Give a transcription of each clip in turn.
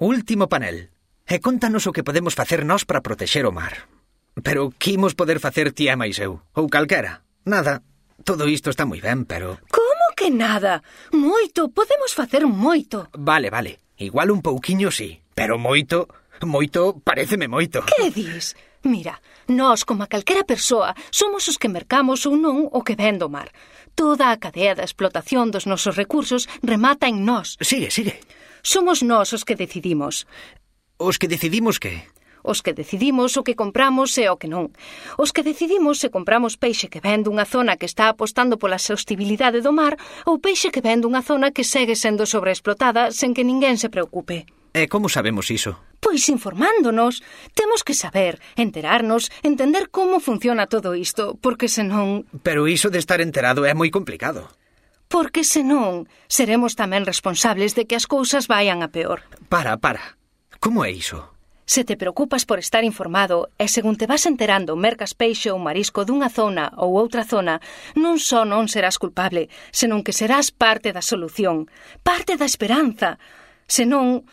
Último panel. E contanos o que podemos facer nós para protexer o mar. Pero que imos poder facer ti e máis eu? Ou calquera? Nada. Todo isto está moi ben, pero... Como que nada? Moito, podemos facer moito. Vale. Igual un pouquiño sí, pero moito paréceme moito. Que dis? Mira, nós, como a calquera persoa, somos os que mercamos ou non o que ven do mar. Toda a cadea da explotación dos nosos recursos remata en nós. Sigue. Somos nós os que decidimos. Os que decidimos que? Os que decidimos o que compramos e o que non. Os que decidimos se compramos peixe que ven dunha zona que está apostando pola sostibilidade do mar ou peixe que ven dunha zona que segue sendo sobreexplotada sen que ninguén se preocupe. E como sabemos iso? Pois informándonos. Temos que saber, enterarnos, entender como funciona todo isto, porque senón... Pero iso de estar enterado é moi complicado. Porque senón seremos tamén responsables de que as cousas vayan a peor. Para. Como é iso? Se te preocupas por estar informado e según te vas enterando mercas peixe ou marisco dunha zona ou outra zona, non só non serás culpable, senón que serás parte da solución, parte da esperanza. Se non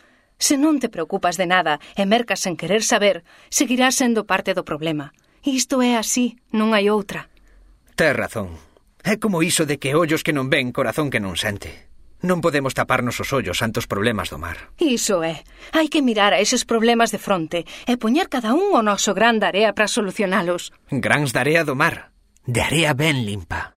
te preocupas de nada e mercas sen querer saber, seguirás sendo parte do problema. Isto é así, non hai outra. Tes razón. É como iso de que ollos que non ven, corazón que non sente. Non podemos taparnos os ollos ante os problemas do mar. Iso é. Hai que mirar a eses problemas de fronte e poñer cada un o noso gran de area para solucionalos. Grans de area do mar. De area ben limpa.